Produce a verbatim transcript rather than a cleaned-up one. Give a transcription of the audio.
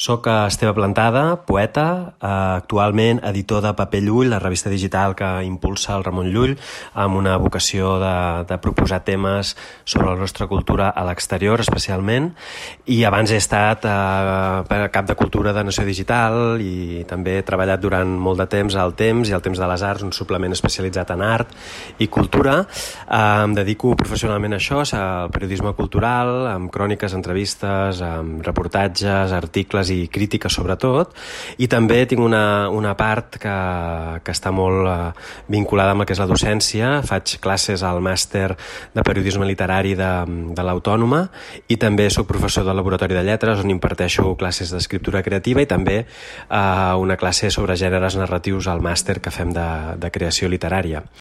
Soc Esteve Plantada, poeta, actualment editor de Paper Llull, la revista digital que impulsa el Ramon Llull, amb una vocació de, de proposar temes sobre la nostra cultura a l'exterior, especialment. I abans he estat eh, cap de cultura de Nació Digital i també he treballat durant molt de temps al Temps i al Temps de les Arts, un suplement especialitzat en art i cultura. Eh, em dedico professionalment a això, al periodisme cultural, amb cròniques, entrevistes, amb reportatges, articles i crítica sobretot, i també tinc una, una part que, que està molt eh, vinculada amb el que és la docència. Faig classes al màster de periodisme literari de, de l'Autònoma i també soc professor del Laboratori de Lletres, on imparteixo classes d'escriptura creativa i també eh, una classe sobre gèneres narratius al màster que fem de, de creació literària.